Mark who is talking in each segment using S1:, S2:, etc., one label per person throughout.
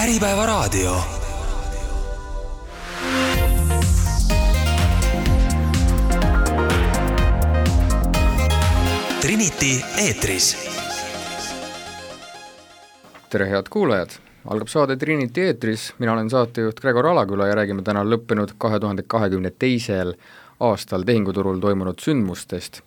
S1: Äripäevaraadio. Trinity eetris.
S2: Tere head kuulajad, algab saade Trinity eetris, mina olen saatejuht Gregor Alaküla ja räägime täna lõppenud 2022. aastal tehinguturul toimunud sündmustest.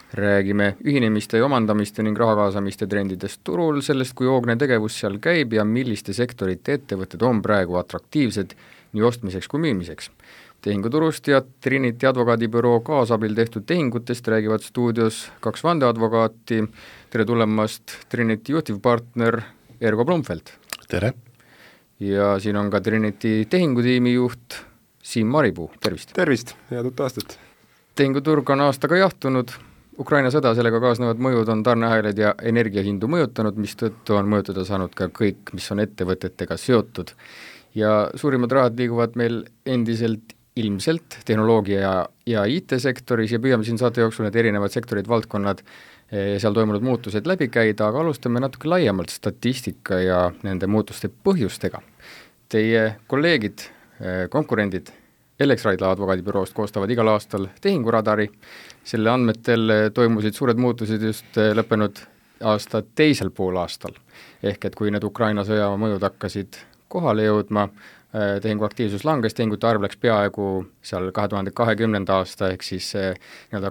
S2: Räägime ühinemiste ja omandamiste ning raha kaasamiste trendidest turul, sellest kui hoogne tegevus seal käib ja milliste sektorite ettevõtted on praegu atraktiivsed nii ostmiseks kui müümiseks. Tehinguturust ja Trinity advokaadibüroo kaasabil tehtud tehingutest räägivad stuudios kaks vandeadvokaati. Tere tulemast, Trinity juhtivpartner Ergo Blumfeld.
S3: Tere!
S2: Ja siin on ka Trinity tehingutiimi juht Siim Maripuu, tervist!
S4: Tervist, head uut aastat!
S2: Tehinguturg on aastaga jahtunud, Ukraina sõda, sellega kaasnevad mõjud on tarneahelad ja energiahindu mõjutanud, mistõttu on mõjutada saanud ka kõik, mis on ettevõtetega seotud. Ja suurimad rahad liiguvad meil endiselt ilmselt tehnoloogia ja IT-sektoris ja püüame siin saate jooksul need erinevad sektorid, valdkonnad seal toimunud muutused läbi käida, aga alustame natuke laiemalt statistika ja nende muutuste põhjustega. Teie kolleegid, konkurendid Elexraidla advokaadibüroost koostavad igal aastal tehinguradari. Selle andmetel toimusid suured muutused just lõppenud aasta teisel poolaastal. Ehk et kui need Ukraina sõja mõjud hakkasid kohale jõudma, tehinguaktiivsus langes, tehingute arv läks peaaegu seal 2020. aasta ehk siis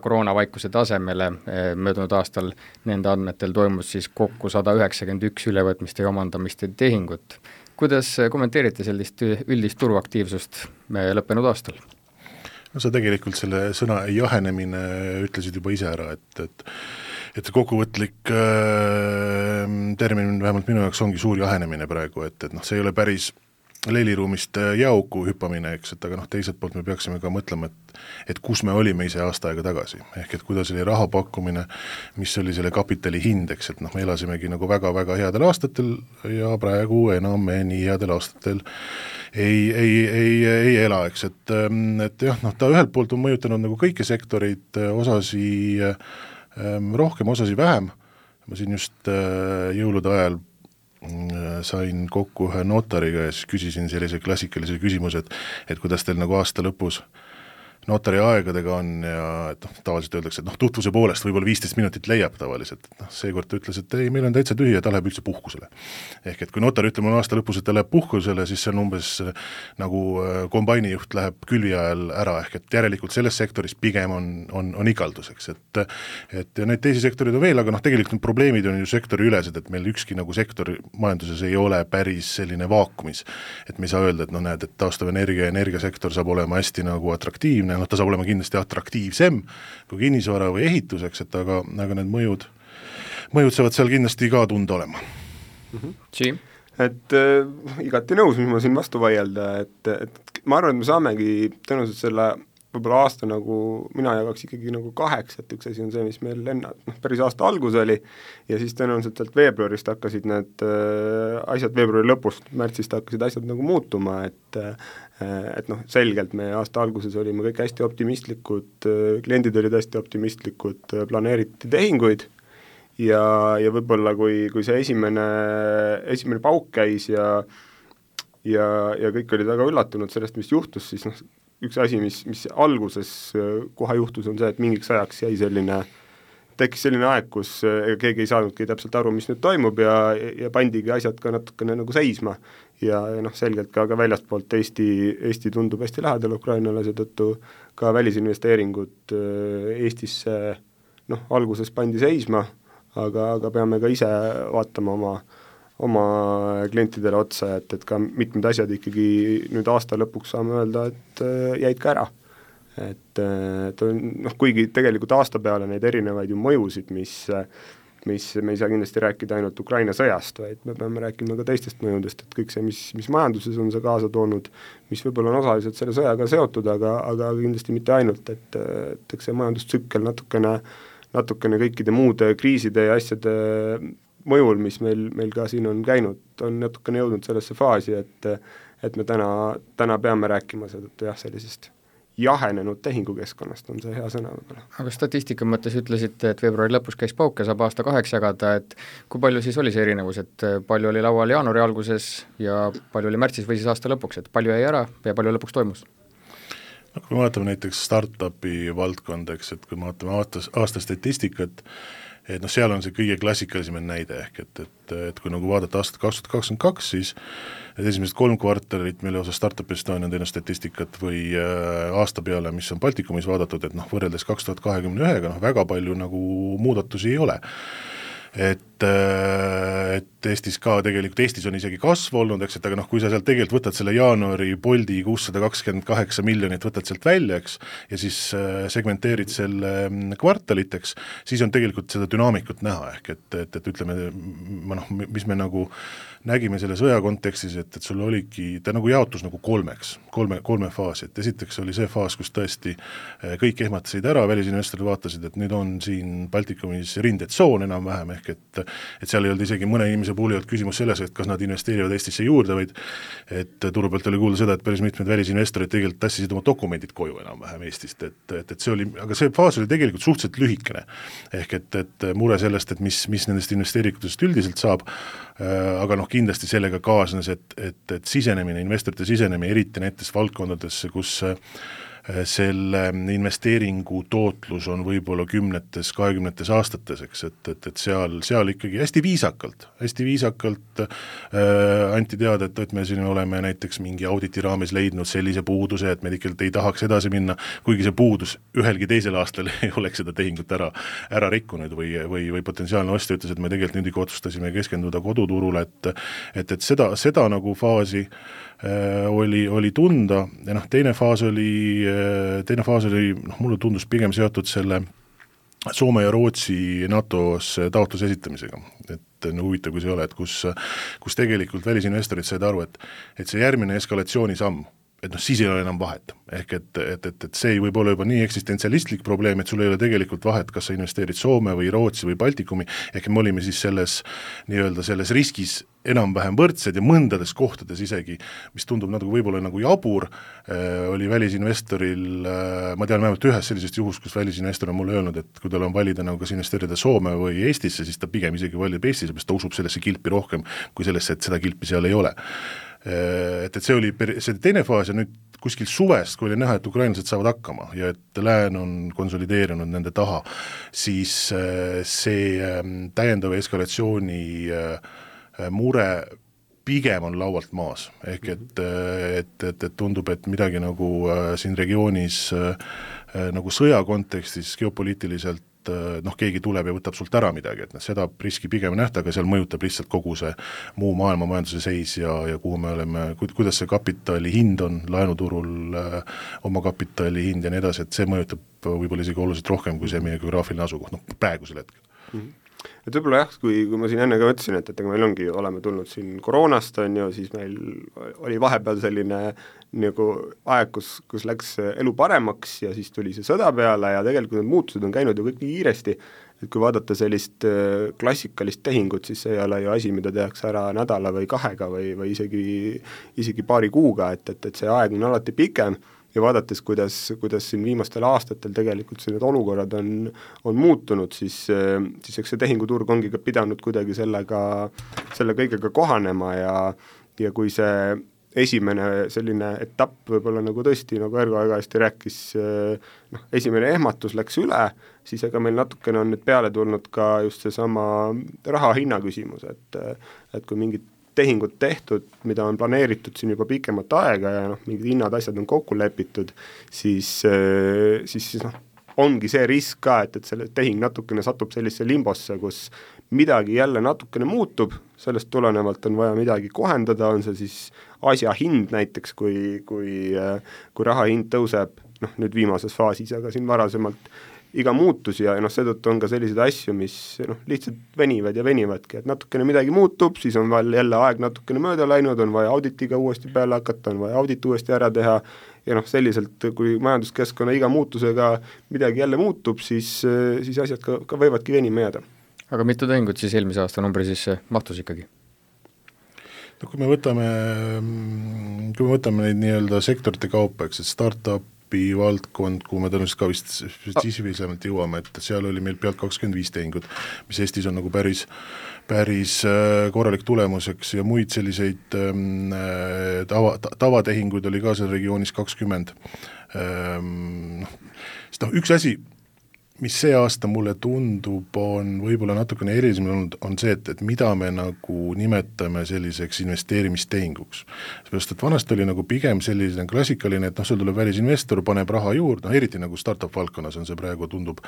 S2: koroonavaikuse tasemele. Möödunud aastal nende andmetel toimus siis kokku 191 ülevõtmiste ja omandamiste tehingut. Kuidas kommenteerite sellist üldist turuaktiivsust lõppenud aastal?
S3: No sa tegelikult selle sõna jahenemine ütlesid juba ise ära, et kokkuvõtlik termin vähemalt minu jaoks ongi suur jahenemine praegu, et see ei ole päris leiliruumist jauku hüppamine, eks, et aga teiselt poolt me peaksime ka mõtlema, et kus me olime ise aasta aega tagasi, ehk et kuidas oli raha pakkumine, mis oli selle kapitali hind, eks, et me elasimegi nagu väga-väga headel aastatel ja praegu enam me nii headel aastatel ei ela, eks, et jah, ta ühelt poolt on mõjutanud nagu kõiki sektoreid, osasi rohkem, osasi vähem. Ma siin just jõulude ajal sain kokku ühe notariga ja siis küsisin sellise klassikalise küsimuse, et kuidas teil nagu aasta lõpus notari aegadega on ja tavaliselt öeldakse, et tutvuse poolest võib-olla 15 minutit leiab tavaliselt. Seekord ta ütles, et ei, meil on täitsa tühi ja ta läheb üldse puhkusele. Ehk et kui notar ütleb mulle aasta lõpus, et ta läheb puhkusele, siis see on umbes nagu kombainijuht läheb külvi ajal ära, ehk et järelikult selles sektoris pigem on ikalduseks. Et neid teisi sektorid on veel, aga tegelikult probleemid on ju sektori ülesed, et meil ükski nagu sektor majanduses ei ole päris selline vaakumis. Et me ei saa öelda, et näed, et taastuv energia ja energiasektor saab olema hästi nagu atraktiivne, ta saab olema kindlasti atraktiivsem kui kinnisvara või ehituseks, et aga need mõjud saavad seal kindlasti ka tunda olema.
S2: Siim?
S4: Et igati nõus, mis ma siin vastu vaielda, et ma arvan, et me saamegi tõenäoliselt selle võib-olla aasta nagu, mina jagaks ikkagi nagu 8, et üks asi on see, mis meil päris aasta algus oli ja siis tõenäoliselt sealt veebruarist hakkasid need asjad, veebruari lõpust, märtsist hakkasid asjad nagu muutuma, et selgelt me aasta alguses olime kõik hästi optimistlikud, kliendid olid hästi optimistlikud, planeeriti tehinguid ja võib-olla kui see esimene pauk käis ja kõik olid väga üllatunud sellest, mis juhtus, siis üks asi, mis alguses kohe juhtus, on see, et mingiks ajaks tekkis selline aeg, kus keegi ei saanudki täpselt aru, mis nüüd toimub ja pandigi asjad ka natukene nagu seisma ja selgelt ka väljastpoolt Eesti tundub hästi lähedal Ukrainale, seetõttu ka välisinvesteeringud Eestisse alguses pandi seisma, aga peame ka ise vaatama oma klientidele otsa, et ka mitmed asjad ikkagi nüüd aasta lõpuks saame öelda, et jäid ka ära. Et kuigi tegelikult aasta peale neid erinevaid ju mõjusid, mis me ei saa kindlasti rääkida ainult Ukraina sõjast, vaid me peame rääkima ka teistest mõjudest, et kõik see, mis majanduses on see kaasa toonud, mis võib-olla on osaliselt selle sõjaga seotud, aga kindlasti mitte ainult, et eks see majandustsükkel natukene kõikide muude kriiside ja asjade mõjul, mis meil ka siin on käinud, on natukene jõudnud sellesse faasi, et me täna peame rääkima seetõttu sellisest jahenenud tehingukeskkonnast on see hea sõna võib-olla.
S2: Aga statistika mõttes ütlesite, et veebruari lõpus käis pauk ja saab aasta 8 jagada, et kui palju siis oli see erinevus, et palju oli laual jaanuari alguses ja palju oli märtsis või siis aasta lõpuks, et palju jäi ära ja palju lõpuks toimus?
S3: No, kui me vaatame näiteks startupi valdkonda, eks, et kui me vaatame aasta statistikat, et noh, seal on see kõige klassikalisem näide ehk, et kui nagu vaadata aastat 2022, siis esimesed 3 kvartalit, mille osas Startup Estonia on teinud statistikat või aasta peale, mis on Baltikumis vaadatud, et noh, võrreldes 2021-ga noh, väga palju nagu muudatusi ei ole. Et Eestis ka tegelikult, Eestis on isegi kasv olnud, eks, et aga noh, kui sa sealt tegelikult võtad selle jaanuari Bolti 628 miljonit, võtad sealt välja, eks, ja siis segmenteerid selle kvartaliteks, siis on tegelikult seda dünaamikut näha, ehk et ütleme, mis me nagu nägime selle sõja kontekstis, et sul oligi, ta nagu jaotus nagu kolme faasi, et esiteks oli see faas, kus tõesti kõik ehmatasid ära, välisinvestorid vaatasid, et nüüd on siin Baltikumis rindetsoon enam-vähem, ehk et seal ei olnud isegi mõne inimese puhul ei olnud küsimus selles, et kas nad investeerivad Eestisse juurde, vaid et turu pealt oli kuulda seda, et päris mitmed välisinvestorid tegelikult tassisid oma dokumendid koju enam-vähem Eestist, et see oli, aga see faas oli tegelikult suhteliselt lühikene, ehk et mure sellest, et mis nendest investeeringutest üldiselt saab, aga noh, kindlasti sellega kaasnes, et sisenemine, investorite sisenemine, eriti näiteks valdkondadesse, kus selle investeeringu tootlus on võib-olla 10-20 aastates, eks, et seal ikkagi hästi viisakalt anti teada, et me siin oleme näiteks mingi auditi raames leidnud sellise puuduse, et me tegelikult ei tahaks edasi minna, kuigi see puudus ühelgi teisel aastal ei oleks seda tehingut ära rikkunud või potentsiaalne ostja ütles, et me tegelikult nüüd ikka otsustasime keskenduda koduturule, et seda nagu faasi oli tunda ja noh, teine faas oli, mulle tundus pigem seotud selle Soome ja Rootsi NATO-s taotluse esitamisega, et huvitav, kui see ei ole, et kus tegelikult välisinvestorid said aru, et see järgmine eskalatsioonisamm, et noh, siis ei ole enam vahet, ehk et see ei võib olla juba nii eksistentsialistlik probleem, et sul ei ole tegelikult vahet, kas sa investeerid Soome või Rootsi või Baltikumi, ehk me olime siis selles riskis enam-vähem võrdsed ja mõndades kohtades isegi, mis tundub nagu võib-olla nagu jabur, oli välisinvestoril, ma tean vähemalt ühes sellisest juhust, kus välisinvestor on mulle öelnud, et kui tal on valida nagu kas investeerida Soome või Eestisse, siis ta pigem isegi valib Eestisse, sest ta usub sellesse kilpi rohkem kui sellesse, et seda kilpi seal ei ole. Et see oli see teine faas ja nüüd kuskil suvest, kui oli näha, et ukrainlased saavad hakkama ja et lään on konsolideerunud nende taha, siis see täiendava eskalatsiooni mure pigem on laualt maas, ehk et tundub, et midagi nagu siin regioonis nagu sõja kontekstis geopoliitiliselt noh, keegi tuleb ja võtab sult ära midagi, et seda riski pigem nähta, aga seal mõjutab lihtsalt kogu see muu maailma majanduse seis ja kuhu me oleme, kuidas see kapitali hind on laenuturul, oma kapitali hind ja nii edasi, et see mõjutab võib-olla isegi oluliselt rohkem kui see meie geograafiline asukoht, noh praegusel hetkel.
S4: Et võib-olla jah, kui ma siin enne ka mõtlesin, et meil oleme tulnud siin koroonast, on ju, siis meil oli vahepeal selline nagu aeg, kus läks elu paremaks ja siis tuli see sõda peale ja tegelikult need muutused on käinud ju kõik nii kiiresti, et kui vaadata sellist klassikalist tehingut, siis see ei ole ju asi, mida tehakse ära nädala või 2 või isegi paari kuuga, et see aeg on alati pikem ja vaadates, kuidas siin viimastel aastatel tegelikult need olukorrad on muutunud, siis eks see tehinguturg ongi ka pidanud kuidagi selle kõigega kohanema ja kui see esimene selline etapp võib-olla nagu tõesti, nagu Ergo hästi rääkis, esimene ehmatus läks üle, siis ega meil natukene on nüüd peale tulnud ka just seesama raha hinna küsimus, et kui mingid tehingud tehtud, mida on planeeritud siin juba pikemat aega ja mingid hinnad, asjad on kokku lepitud, siis ongi see risk ka, et selle tehing natukene satub sellisesse limbosse, kus midagi jälle natukene muutub, sellest tulenevalt on vaja midagi kohendada, on see siis asja hind näiteks, kui raha hind tõuseb, nüüd viimases faasis, aga siin varasemalt iga muutus ja seetõttu on ka selliseid asju, mis lihtsalt venivad ja venivadki, et natukene midagi muutub, siis on veel jälle aeg natukene mööda läinud, on vaja auditiga uuesti peale hakata, on vaja audit uuesti ära teha ja selliselt, kui majanduskeskkonna iga muutusega midagi jälle muutub, siis asjad ka võivadki venima jääda.
S2: Aga mitu tehingut siis eelmise aasta numbri sisse mahtus ikkagi?
S3: No kui me võtame neid nii-öelda sektorite kaupa, eks, et startup, startupi valdkond, kuhu me tõenäoliselt ka vist spetsiifilisemalt jõuame, et seal oli meil pealt 25 tehingut, mis Eestis on nagu päris korralik tulemus, eks, ja muid selliseid tavatehinguid oli ka seal regioonis 20. Üks asi, mis see aasta mulle tundub, on võib-olla natukene erilisem olnud, on see, et mida me nagu nimetame selliseks investeerimistehinguks. Seepärast, et vanasti oli nagu pigem selline klassikaline, et sul tuleb välisinvestor, paneb raha juurde, eriti nagu startup valdkonnas on see praegu tundub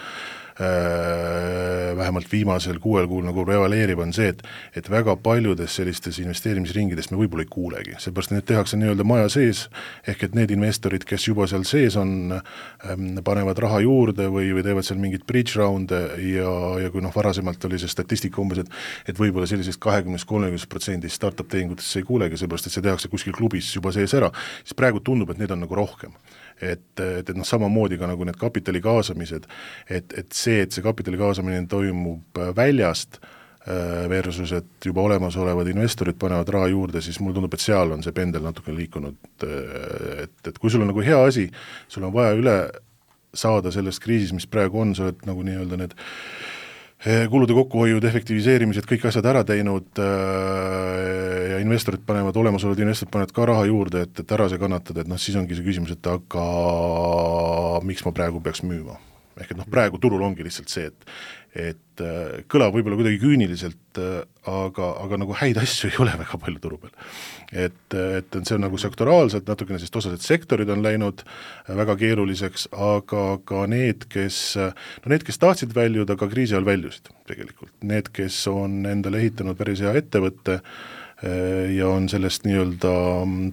S3: vähemalt viimasel 6 kuul nagu prevaleeriv on see, et väga paljudes sellistes investeerimisringides me võib-olla ei kuulegi, seepärast need tehakse nii-öelda maja sees, ehk et need investorid, kes juba seal sees on, panevad raha juurde või teevad seal mingid bridge round'e ja kui varasemalt oli see statistika umbes, et võib-olla sellisest 20-30% startup tehingutesse ei kuulegi, seepärast, et see tehakse kuskil klubis juba sees ära, siis praegu tundub, et need on nagu rohkem. Et samamoodi ka nagu need kapitali kaasamised, et see kapitali kaasamine toimub väljast versus, et juba olemasolevad investorid panevad raha juurde, siis mulle tundub, et seal on see pendel natuke liikunud, et kui sul on nagu hea asi, sul on vaja üle saada sellest kriisis, mis praegu on, sa oled nagu nii-öelda need kulude kokkuhoiud, efektiviseerimised, kõik asjad ära teinud ja olemasolevad investorid panevad ka raha juurde, et ära see kannatada, et siis ongi see küsimus, et aga miks ma praegu peaks müüma? Ehk et praegu turul ongi lihtsalt see, et kõlab võib-olla kuidagi küüniliselt, aga nagu häid asju ei ole väga palju turu peal. Et see on nagu sektoraalselt natukene, sest osased sektorid on läinud väga keeruliseks, aga ka need, kes tahtsid väljuda, ka kriisi ajal väljusid tegelikult. Need, kes on endale ehitanud päris hea ettevõtte ja on sellest nii-öelda,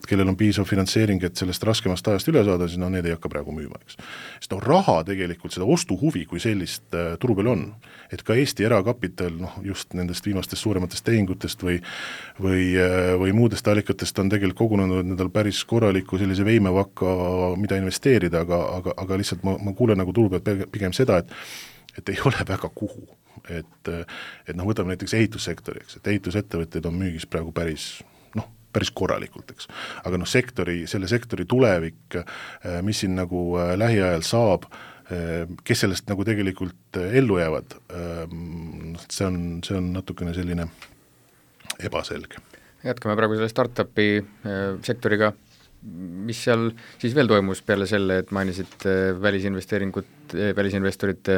S3: kellel on piisav finantseering, et sellest raskemast ajast üle saada, siis need ei hakka praegu müüma, eks. Sest raha tegelikult, seda ostuhuvi kui sellist turu peal on, et ka Eesti erakapital, just nendest viimastest suurematest tehingutest või muudest allikatest on tegelikult kogunenud nendel päris korraliku sellise veimevakka, mida investeerida, aga lihtsalt ma kuulen nagu turu pealt pigem seda, et ei ole väga kuhu. Et võtame näiteks ehitussektori, eks, et ehitusettevõtteid on müügis praegu päris korralikult, eks. Aga selle sektori tulevik, mis siin nagu lähiajal saab, kes sellest nagu tegelikult ellu jäävad, see on natukene selline ebaselge.
S2: Jätkame praegu selle startupi sektoriga. Mis seal siis veel toimus peale selle, et mainisid välisinvestorite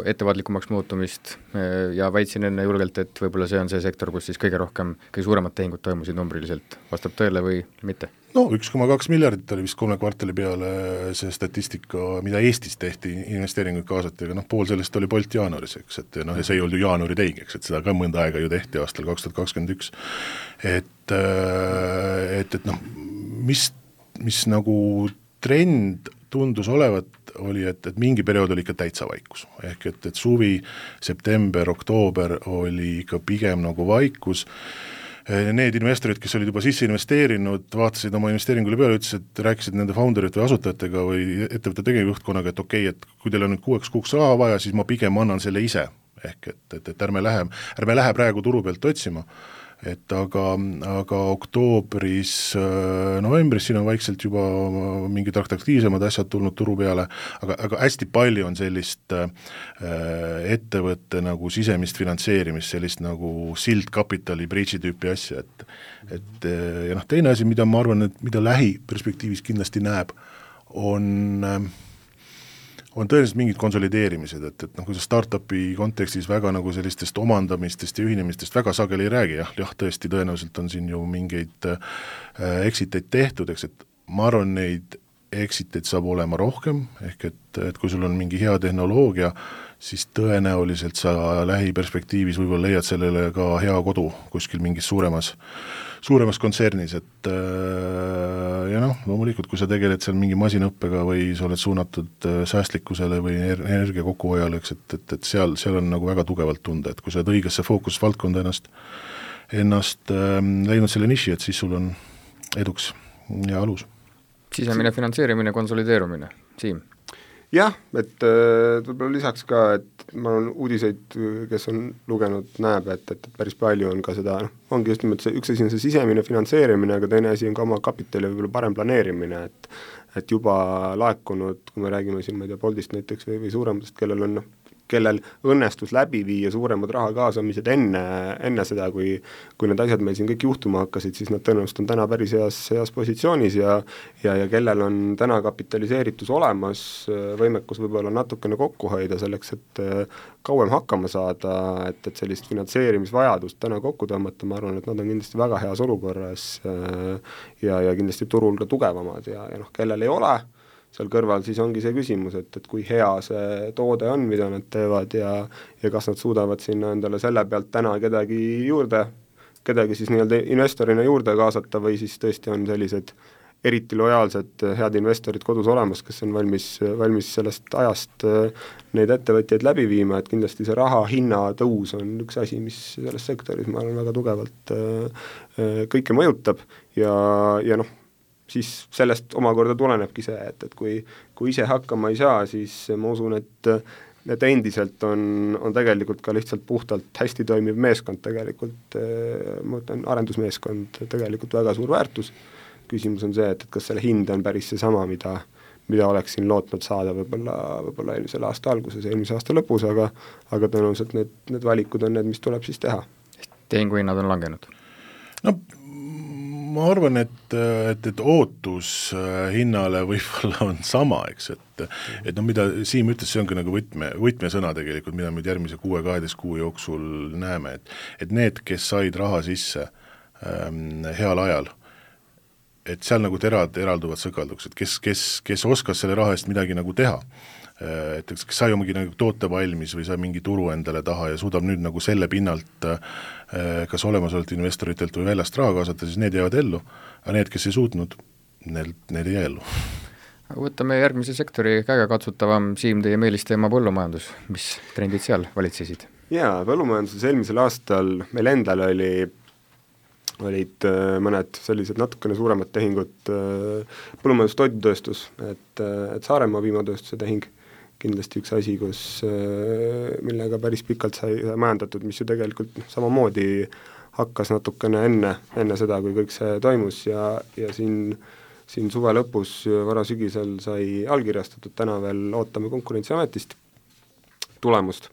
S2: ettevaatlikumaks muutumist ja väitsin enne julgelt, et võib-olla see on see sektor, kus siis kõige suuremad tehingud toimusid numbriliselt. Vastab tõele või mitte?
S3: 1,2 miljardit oli vist 3 kvartali peale see statistika, mida Eestis tehti, investeeringuid kaasati, aga pool sellest oli Bolt jaanuaris, eks, et ja see ei olnud ju jaanuari tehing, eks, et seda ka mõnda aega ju tehti aastal 2021. Mis nagu trend tundus olevat, oli, et mingi periood oli ikka täitsa vaikus, ehk et suvi, september, oktoober oli ikka pigem nagu vaikus. Need investorid, kes olid juba sisse investeerinud, vaatasid oma investeeringule peale, rääkisid nende founderite või asutajatega või ettevõtte tegevjuhtkonnaga, et okei, et kui teil on nüüd 6 kuuks raha vaja, siis ma pigem annan selle ise, ehk et ärme lähe praegu turu pealt otsima. Aga oktoobris, novembris siin on vaikselt juba mingid atraktiivsemad asjad tulnud turu peale, aga hästi palju on sellist ettevõtte nagu sisemist finantseerimist, sellist nagu sildkapitali, bridge'i tüüpi asja, ja teine asi, mida ma arvan, et mida lähiperspektiivis kindlasti näeb, on tõenäoliselt mingid konsolideerimised, et kui sa startupi kontekstis väga nagu sellistest omandamistest ja ühinemistest väga sageli ei räägi, jah, tõesti tõenäoliselt on siin ju mingeid exiteid tehtud, eks, et ma arvan, neid exiteid saab olema rohkem, ehk et kui sul on mingi hea tehnoloogia, siis tõenäoliselt sa lähiperspektiivis võib-olla leiad sellele ka hea kodu kuskil mingis suuremas kontsernis, et ja loomulikult, kui sa tegeled seal mingi masinaõppega või sa oled suunatud säästlikkusele või energia kokkuhoiale, et seal on nagu väga tugevalt tunda, et kui sa oled õigesse fookusvaldkonda ennast leidnud selle niši, et siis sul on eduks ja alus.
S2: Sisemine finantseerimine, konsolideerumine, Siim?
S4: jah, et võib-olla lisaks ka, et ma olen uudiseid, kes on lugenud, näeb, et päris palju on ka seda, ongi just nimelt see, üks asi on see sisemine finantseerimine, aga teine asi on ka oma kapitali võib-olla parem planeerimine, et juba laekunud, kui me räägime siin, ma ei tea, Boltist näiteks või suurematest, kellel õnnestus läbi viia suuremad raha kaasamised enne seda, kui need asjad meil siin kõik juhtuma hakkasid, siis nad tõenäoliselt on täna päris heas positsioonis ja kellel on täna kapitaliseeritus olemas, võimekus võib-olla natukene kokku hoida selleks, et kauem hakkama saada, et sellist finantseerimisvajadust täna kokku tõmmata, ma arvan, et nad on kindlasti väga heas olukorras ja kindlasti turul ka tugevamad ja kellel ei ole, seal kõrval siis ongi see küsimus, et kui hea see toode on, mida nad teevad ja kas nad suudavad sinna endale selle pealt täna kedagi siis nii-öelda investorina juurde kaasata või siis tõesti on sellised eriti lojaalsed head investorid kodus olemas, kes on valmis sellest ajast neid ettevõtjaid läbi viima, et kindlasti see raha hinna tõus on üks asi, mis selles sektoris, ma arvan, väga tugevalt kõike mõjutab ja siis sellest omakorda tulenebki see, et kui ise hakkama ei saa, siis ma usun, et endiselt on tegelikult ka lihtsalt puhtalt hästi toimiv meeskond tegelikult, ma ütlen, arendusmeeskond tegelikult väga suur väärtus. Küsimus on see, et kas selle hind on päris seesama, mida oleksin lootnud saada võib-olla eelmisel aasta alguses, eelmise aasta lõpus, aga tõenäoliselt need valikud on need, mis tuleb siis teha.
S2: Tehinguhinnad on langenud?
S3: No ma arvan, et ootus hinnale võib-olla on sama, eks, et mida Siim ütles, see ongi nagu võtmesõna tegelikult, mida me järgmise 6-12 kuu jooksul näeme, et need, kes said raha sisse heal ajal, et seal nagu eralduvad sõkalduks, et kes oskas selle raha eest midagi nagu teha, et kes sai omagi nagu toote valmis või sai mingi turu endale taha ja suudab nüüd nagu selle pinnalt kas olemasolevalt investoritelt või väljast raha kaasata, siis need jäävad ellu, aga need, kes ei suutnud, need ei jää ellu.
S2: Aga võtame järgmise sektori käegakatsutavam, Siim, teie meelisteema põllumajandus, mis trendid seal valitsesid? Jaa,
S4: põllumajanduses eelmisel aastal meil endal olid mõned sellised natukene suuremad tehingud, põllumajandustoidutööstus, et Saaremaa piimatööstuse tehing, kindlasti üks asi, millega päris pikalt sai majandatud, mis ju tegelikult samamoodi hakkas natukene enne seda, kui kõik see toimus ja siin suve lõpus, varasügisel sai allkirjastatud, täna veel ootame Konkurentsiametist tulemust.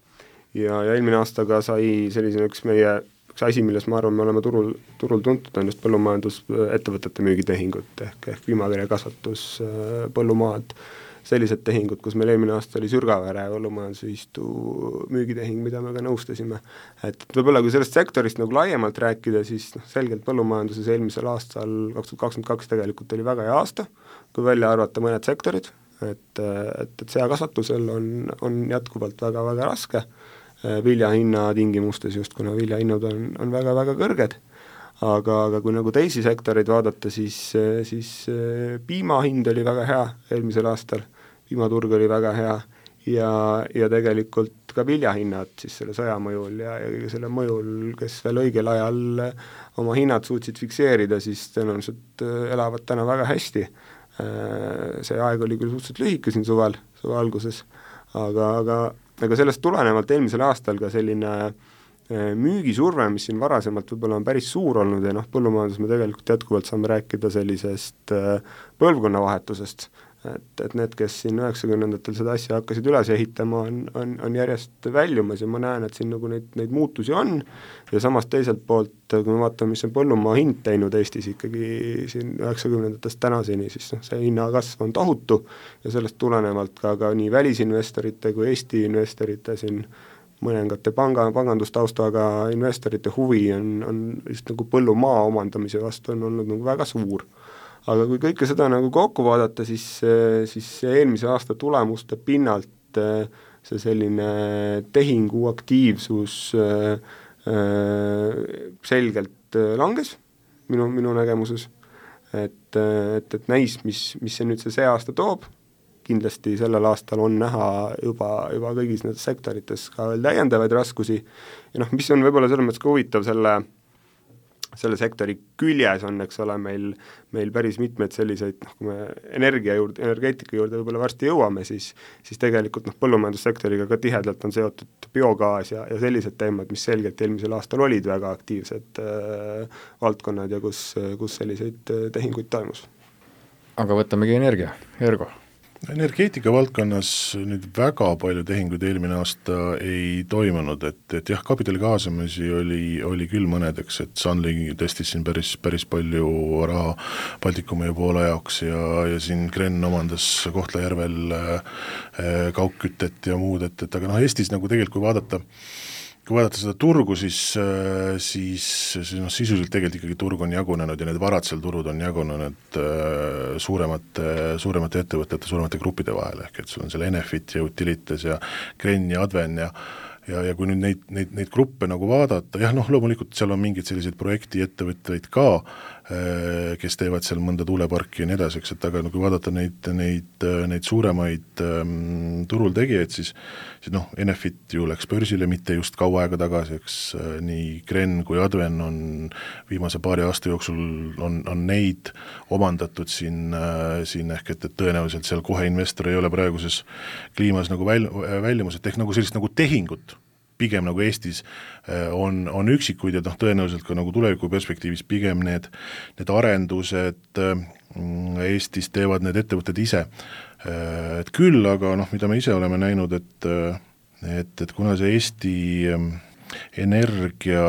S4: Ja eelmine aastaga sai sellisena üks asi, milles ma arvan, me oleme turul tuntud, on just põllumajandusettevõtete müügitehingud ehk piimakirjakasvatus, põllumaad, sellised tehingud, kus meil eelmine aasta oli Sürgavere põllumajandusühistu müügitehing, mida me ka nõustasime. Et võib-olla kui sellest sektorist nagu laiemalt rääkida, siis selgelt põllumajanduses eelmisel aastal 2022 tegelikult oli väga hea aasta, kui välja arvata mõned sektorid, et seakasvatusel on jätkuvalt väga-väga raske viljahinna tingimustes just, kuna viljahinnad on väga-väga kõrged, aga kui nagu teisi sektoreid vaadata, siis piimahind oli väga hea eelmisel aastal, piimaturg oli väga hea ja tegelikult ka viljahinnad siis selle sõja mõjul ja selle mõjul, kes veel õigel ajal oma hinnad suutsid fikseerida, siis tõenäoliselt elavad täna väga hästi. See aeg oli küll suhteliselt lühike siin suve alguses, aga sellest tulenevalt eelmisel aastal ka selline müügisurve, mis siin varasemalt võib-olla on päris suur olnud ja põllumajandus me tegelikult jätkuvalt saame rääkida sellisest põlvkonnavahetusest, et need, kes siin 90-ndatel seda asja hakkasid üles ehitama, on järjest väljumas ja ma näen, et siin nagu neid muutusi on ja samas teiselt poolt, kui me vaatame, mis on põllumaa hind teinud Eestis ikkagi siin 90-ndatest tänaseni, siis see hinnakasv on tohutu ja sellest tulenevalt ka nii välisinvestorite kui Eesti investorite siin mõningate pangandustaustaga investorite huvi on just nagu põllumaa omandamise vastu on olnud nagu väga suur. Aga kui kõike seda nagu kokku vaadata, siis eelmise aasta tulemuste pinnalt see selline tehingu aktiivsus selgelt langes minu nägemuses, et näis, mis see aasta toob, kindlasti sellel aastal on näha juba kõigis nendes sektorites ka veel täiendavaid raskusi ja mis on võib-olla selles mõttes ka huvitav selle selle sektori küljes on, eks ole, meil päris mitmeid selliseid, kui me energeetika juurde võib-olla varsti jõuame, siis tegelikult põllumajandussektoriga ka tihedalt on seotud biogaas ja sellised teemad, mis selgelt eelmisel aastal olid väga aktiivsed valdkonnad ja kus selliseid tehinguid toimus.
S2: Aga võtamegi energia, Ergo.
S3: Energeetika valdkonnas nüüd väga palju tehinguid eelmine aasta ei toimunud, et jah, kapitali kaasamisi oli küll mõnedeks, et Sunly testis siin päris palju raha Baltikumi ja Poola jaoks ja siin Gren omandas Kohtla-Järvel kaugkütet ja muud, et aga Eestis nagu tegelikult kui vaadata seda turgu, siis sisuliselt tegelikult ikkagi turg on jagunenud ja need varad seal turud on jagunenud suuremate ettevõtete, suuremate gruppide vahel, ehk et sul on seal Enefit ja Utilitas ja Gren ja Adven ja kui nüüd neid gruppe nagu vaadata, jah, loomulikult seal on mingid sellised projekti ettevõtteid ka, kes teevad seal mõnda tuuleparki ja nii edasi, eks, et aga kui vaadata neid suuremaid turul tegijaid, siis Enefit ju läks börsile mitte just kaua aega tagasi, eks nii Gren kui Adven on viimase paari aasta jooksul on neid omandatud siin ehk et tõenäoliselt seal kohe investor ei ole praeguses kliimas nagu väljumused, ehk nagu sellist nagu tehingut pigem nagu Eestis on üksikuid ja tõenäoliselt ka nagu tuleviku perspektiivis pigem need arendused Eestis teevad need ettevõtted ise. Et küll, aga mida me ise oleme näinud, et kuna see Eesti energia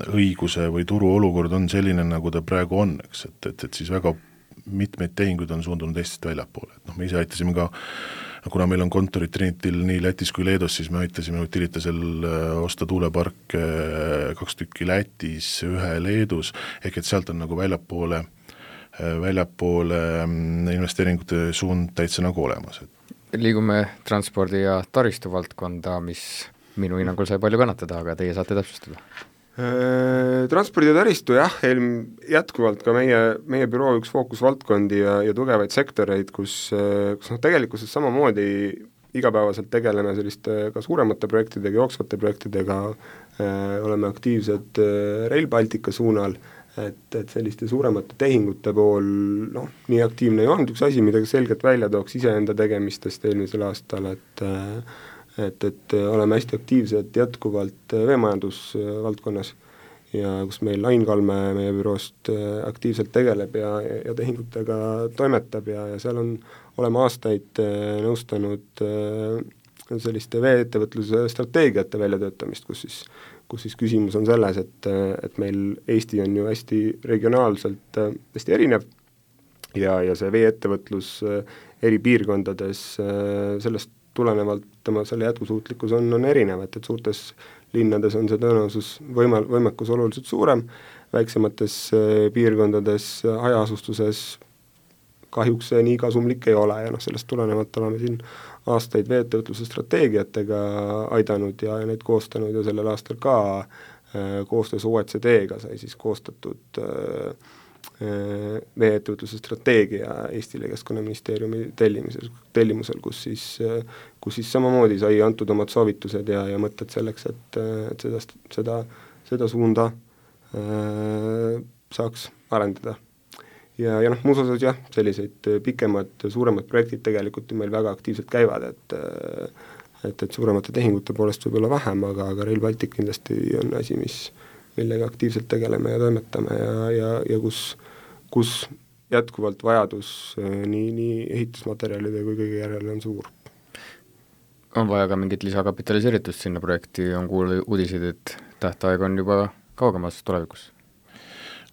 S3: õiguse või turu olukord on selline, nagu ta praegu on, eks, et siis väga mitmeid tehinguid on suundunud Eestist väljapoole, et me ise aitasime ka kuna meil on kontorid Trinitil nii Lätis kui Leedus, siis me aitasime Utilitasel osta tuuleparke 2 tükki Lätis, 1 Leedus, ehk et sealt on nagu väljapoole investeeringute suund täitsa nagu olemas.
S2: Liigume transpordi ja taristu valdkonda, mis minu hinnangul sai palju kannatada, aga teie saate täpsustada.
S4: Transpordi ja taristu jah, jätkuvalt ka meie büroo üks fookusvaldkondi ja tugevaid sektoreid, kus tegelikkuses samamoodi igapäevaselt tegeleme selliste ka suuremate projektidega, jooksvate projektidega, oleme aktiivsed Rail Baltica suunal, et selliste suuremate tehingute pool nii aktiivne ei olnud, üks asi, mida selgelt välja tooks iseenda tegemistest eelmisel aastal, et oleme hästi aktiivsed jätkuvalt veemajandusvaldkonnas ja kus meil Ain Kalme meie büroost aktiivselt tegeleb ja tehingutega toimetab ja seal oleme aastaid nõustanud selliste vee-ettevõtluse strateegiate väljatöötamist, kus siis küsimus on selles, et meil Eesti on ju hästi regionaalselt hästi erinev ja see vee-ettevõtlus eri piirkondades sellest tulenevalt selle jätkusuutlikkus on erinev, et suurtes linnades on see tõenäosus võimekus oluliselt suurem, väiksemates piirkondades, hajaasustuses kahjuks see nii kasumlik ei ole ja sellest tulenevalt oleme siin aastaid vee-ettevõtluse strateegiatega aidanud ja neid koostanud ja sellel aastal ka koostöös OECD-ga sai siis koostatud vee-ettevõtluse strateegia Eestile Keskkonnaministeeriumi tellimusel, kus siis samamoodi sai antud omad soovitused ja mõtted selleks, et seda suunda saaks arendada. Ja muus osas jah, selliseid pikemad, suuremad projektid tegelikult ju meil väga aktiivselt käivad, et suuremate tehingute poolest võib olla vähem, aga Rail Baltic kindlasti on asi, millega aktiivselt tegeleme ja toimetame ja kus jätkuvalt vajadus nii ehitusmaterjalide kui kõige järele on suur.
S2: On vaja ka mingit lisakapitaliseeritust sinna projekti, on kuulda uudiseid, et tähtaeg on juba kaugemas tulevikus?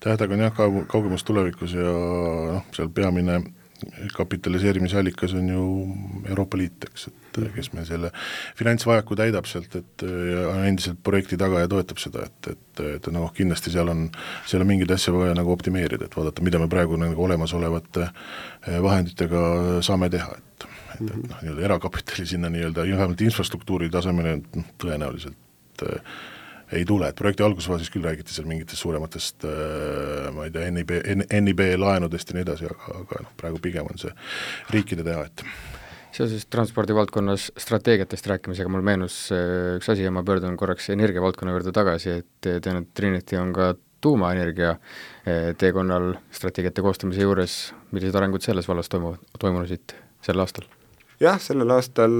S3: Tähtaeg on jah kaugemas tulevikus ja seal peamine kapitaliseerimisallikas on ju Euroopa Liit, eks, et kes meil selle finantsvajaku täidab sealt, et on endiselt projekti taga ja toetab seda, et kindlasti seal on mingeid asja vaja nagu optimeerida, et vaadata, mida me praegu nagu olemasolevate vahenditega saame teha, et nii-öelda erakapitali sinna nii-öelda vähemalt infrastruktuuri tasemele tõenäoliselt ei tule, et projekti algusfaasis küll räägiti seal mingitest suurematest ma ei tea, NIB laenudest ja nii edasi, aga praegu pigem on see riikide teha, et
S2: Seoses transpordivaldkonnas strateegiatest rääkimisega mul meenus üks asi ja ma pöördun korraks energiavaldkonna juurde tagasi, et tean, et Trinity on ka tuumaenergia teekonnal strateegiate koostamise juures, millised arengud selles vallas toimusid sel aastal?
S4: Jah, sellel aastal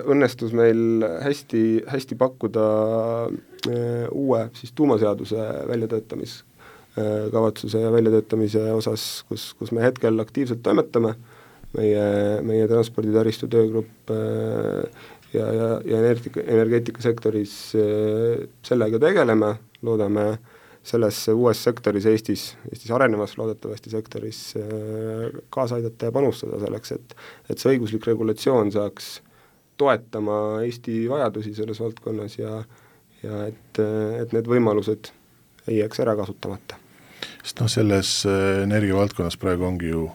S4: õnnestus meil hästi pakkuda uue siis tuumaseaduse väljatöötamiskavatsuse ja väljatöötamise osas, kus me hetkel aktiivselt toimetame, meie transporditaristu töögrupp ja energeetikasektoris sellega tegeleme, loodame selles uues sektoris Eestis arenevas loodetavasti sektoris kaasa aidata ja panustada selleks, et see õiguslik regulatsioon saaks toetama Eesti vajadusi selles valdkonnas ja et need võimalused ei jääks ära kasutamata.
S3: Sest selles energiavaldkonnas praegu ongi ju,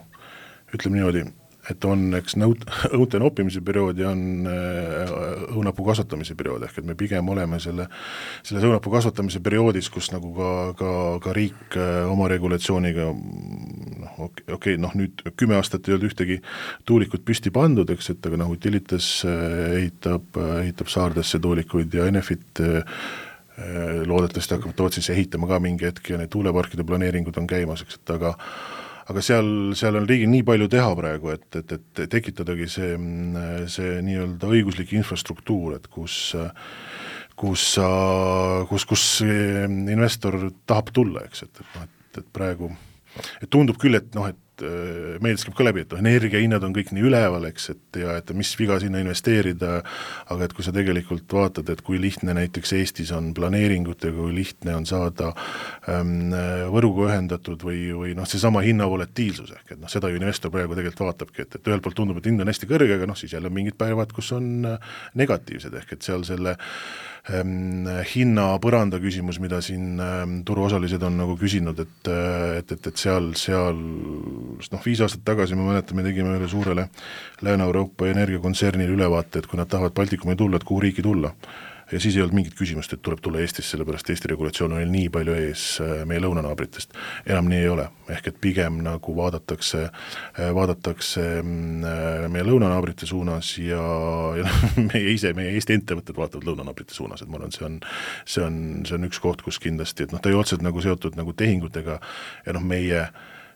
S3: ütleme niimoodi, et on eks õunte noppimise periood ja on õunapuu kasvatamise periood, ehk et me pigem oleme selles õunapuu kasvatamise perioodis, kus nagu ka riik oma regulatsiooniga nüüd 10 aastat ei olnud ühtegi tuulikut püsti pandud, eks, et aga Utilitas ehitab Saardesse tuulikuid ja Enefit loodetavasti hakkab Tootsisse ehitama ka mingi hetk ja need tuuleparkide planeeringud on käimas, eks, et aga seal on riigil nii palju teha praegu, et tekitadagi see nii-öelda õiguslik infrastruktuur, et kus investor tahab tulla, eks, et praegu tundub küll, et meeldis käib ka läbi, et energiahinnad on kõik nii üleval, eks, et mis viga sinna investeerida, aga et kui sa tegelikult vaatad, et kui lihtne näiteks Eestis on planeeringutega, kui lihtne on saada võrguga ühendatud või seesama hinnavolatiilsus, ehk et seda ju investor praegu tegelikult vaatabki, et ühelt poolt tundub, et hind on hästi kõrge, aga siis jälle mingid päevad, kus on negatiivsed, ehk et seal selle hinna põranda küsimus, mida siin turuosalised on nagu küsinud, et seal 5 aastat tagasi me mäletame, tegime üle suurele Lääne-Euroopa energiakontsernile ülevaate, et kui nad tahavad Baltikumi tulla, et kuhu riiki tulla. Ja siis ei olnud mingit küsimust, et tuleb tulla Eestisse, sellepärast Eesti regulatsioon on nii palju ees meie lõunanaabritest. Enam nii ei ole, ehk et pigem nagu vaadatakse meie lõunanaabrite suunas ja meie Eesti ettevõtted vaatavad lõunanaabrite suunas, et ma arvan, see on üks koht, kus kindlasti, et ta ei otseselt nagu seotud nagu tehingutega ja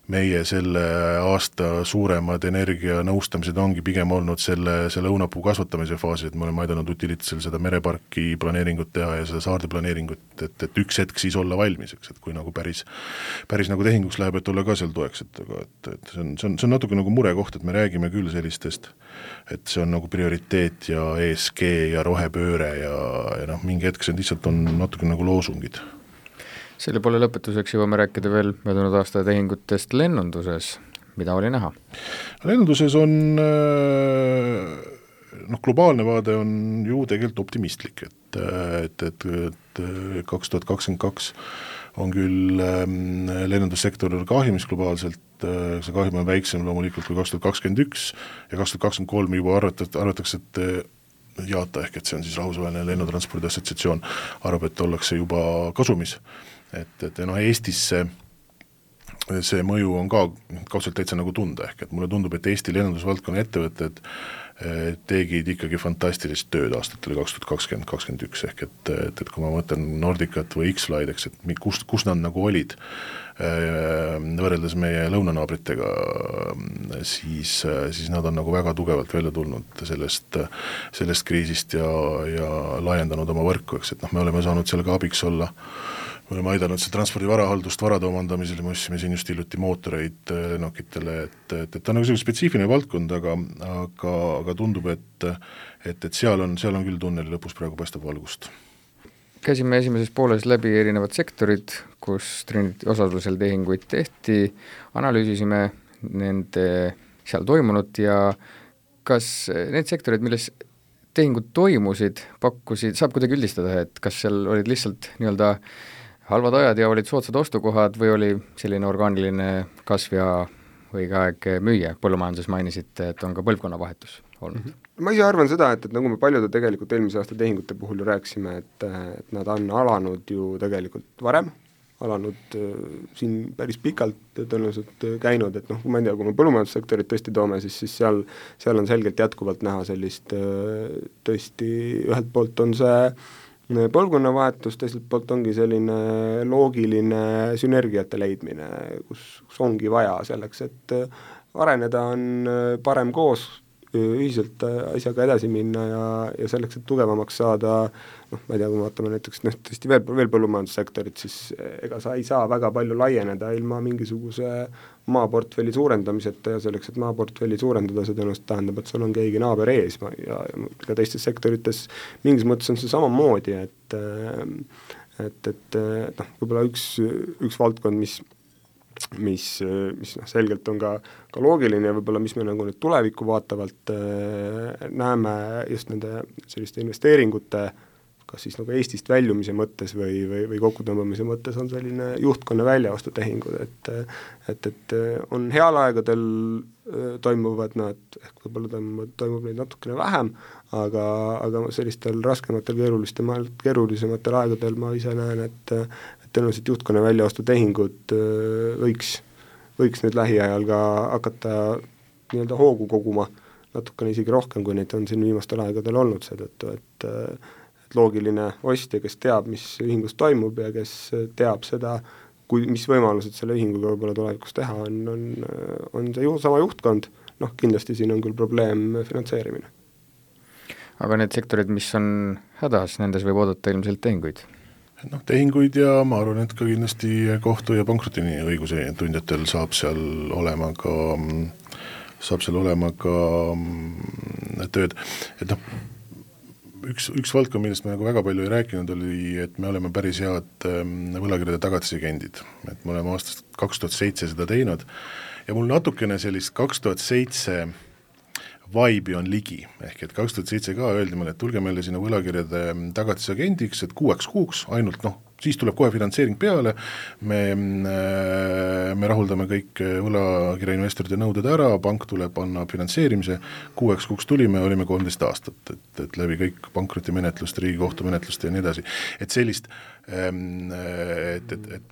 S3: meie selle aasta suuremad energianõustamised ongi pigem olnud selle õunapuu kasvatamise faasi, et me oleme aidanud Utilitasel seda mereparki planeeringut teha ja seda saarde planeeringut, et üks hetk siis olla valmis, eks, et kui nagu päris nagu tehinguks läheb, et olla ka seal toeks, et see on natuke nagu murekoht, et me räägime küll sellistest, et see on nagu prioriteet ja ESG ja rohepööre ja mingi hetk see lihtsalt on natuke nagu loosungid.
S2: Selle poole lõpetuseks jõuame rääkida veel möödunud aasta tehingutest lennunduses, mida oli näha?
S3: Lennunduses on globaalne vaade on ju tegelikult optimistlik, et 2022 on küll lennundussektor kahjumis globaalselt, see kahjum on väiksem loomulikult kui 2021 ja 2023 juba arvatakse, et jaata ehk et see on siis rahvusvaheline lennutranspordi assotsiatsioon, arvab, et ollakse juba kasumis. Et Eestis see mõju on ka kaudselt täitsa nagu tunda, ehk et mulle tundub, et Eesti lennundusvaldkonna ettevõtted tegid ikkagi fantastilist tööd aastatel 2020-2021, ehk et kui ma mõtlen Nordicat või X-Flight, eks, et kus nad nagu olid võrreldes meie lõunanaabritega, siis nad on nagu väga tugevalt välja tulnud sellest kriisist ja laiendanud oma võrku, eks, et me oleme saanud sellega abiks olla. Me oleme aidanud see transpordi varahaldust varade omandamisel, me ostsime siin just hiljuti mootoreid lennukitele, et ta on nagu selline spetsiifiline valdkond, aga tundub, et seal on küll tunneli lõpus praegu paistab valgust.
S2: Käisime esimeses pooles läbi erinevad sektorid, kus Trinity osalusel tehinguid tehti, analüüsisime nende seal toimunud ja kas need sektorid, milles tehingud toimusid, saab kuidagi üldistada, et kas seal olid lihtsalt nii-öelda halvad ajad ja olid soodsad ostukohad või oli selline orgaaniline kasv ja õige aeg müüa? Põllumajanduses mainisite, et on ka põlvkonnavahetus olnud.
S4: Ma ise arvan seda, et nagu me paljude tegelikult eelmise aasta tehingute puhul ju rääkisime, et nad on alanud ju tegelikult varem alanud siin päris pikalt tõenäoliselt käinud, et kui ma ei tea, kui me põllumajandussektorit tõesti toome, siis seal on selgelt jätkuvalt näha sellist tõesti, ühelt poolt on see põlvkonnavahetus, teiselt poolt ongi selline loogiline sünergiate leidmine, kus ongi vaja selleks, et areneda on parem koos, ühiselt asjaga edasi minna ja selleks, et tugevamaks saada, ma ei tea, kui me vaatame näiteks tõesti veel põllumajandussektorit, siis ega sa ei saa väga palju laieneda ilma mingisuguse maaportfelli suurendamiseta ja selleks, et maaportfelli suurendada, see tõenäoliselt tähendab, et sul on keegi naaber ees ja ka teistes sektorites mingis mõttes on see samamoodi, et võib-olla üks valdkond, mis selgelt on ka loogiline ja võib-olla mis me nagu nüüd tulevikku vaatavalt näeme just nende selliste investeeringute kas siis nagu Eestist väljumise mõttes või kokkutõmbamise mõttes on selline juhtkonna väljaostutehingud, et on heal aegadel toimuvad nad, ehk võib-olla toimub neid natukene vähem, aga sellistel raskematel, keerulisematel aegadel ma ise näen, et tõenäoliselt juhtkonna väljaostutehingud võiks nüüd lähiajal ka hakata nii-öelda hoogu koguma natukene isegi rohkem, kui neid on siin viimastel aegadel olnud, seetõttu, et loogiline ostja, kes teab, mis ühingus toimub ja kes teab seda, mis võimalused selle ühinguga võib-olla tulevikus teha, on see sama juhtkond, kindlasti siin on küll probleem finantseerimine.
S2: Aga need sektorid, mis on hädas, nendes võib oodata ilmselt tehinguid?
S3: Tehinguid ja ma arvan, et ka kindlasti kohtu- ja pankrotini õiguse tundjatel saab seal olema ka tööd, et üks valdkond, millest me nagu väga palju ei rääkinud, oli, et me oleme päris head võlakirjade tagatisegendid, et me oleme aastast 2007 seda teinud ja mul natukene sellist 2007 vibe'i on ligi, ehk et 2007 ka öeldi meile, et tulge meile sinna võlakirjade tagatisegendiks, et 6 kuuks ainult, siis tuleb kohe finantseering peale, me rahuldame kõik võlakirjainvestorite nõuded ära, pank tuleb, annab finantseerimise, 6 kuuks tulime, olime 13 aastat, et läbi kõik pankrotimenetlust, Riigikohtu menetlust ja nii edasi. Et sellist,